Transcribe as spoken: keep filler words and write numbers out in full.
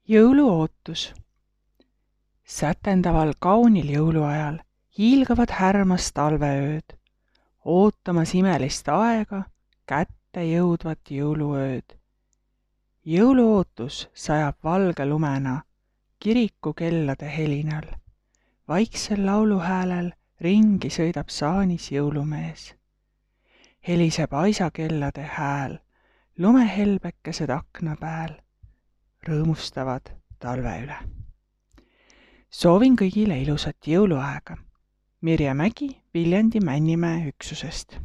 Jõuluootus. Sätendaval kaunil jõuluajal hiilgavad härmas talveööd, ootamas imelist aega, kätte jõudvat jõuluööd. Jõuluootus sajab valge lumena kiriku kellade helinal. Vaiksel lauluhäälel ringi sõidab saanis jõulumees. Heliseb aisakellade hääl, lumehelbekesed akna pääl rõõmustavad talve üle. Soovin kõigile ilusat jõuluaega. Mirje Mägi Viljandi Männimäe üksusest.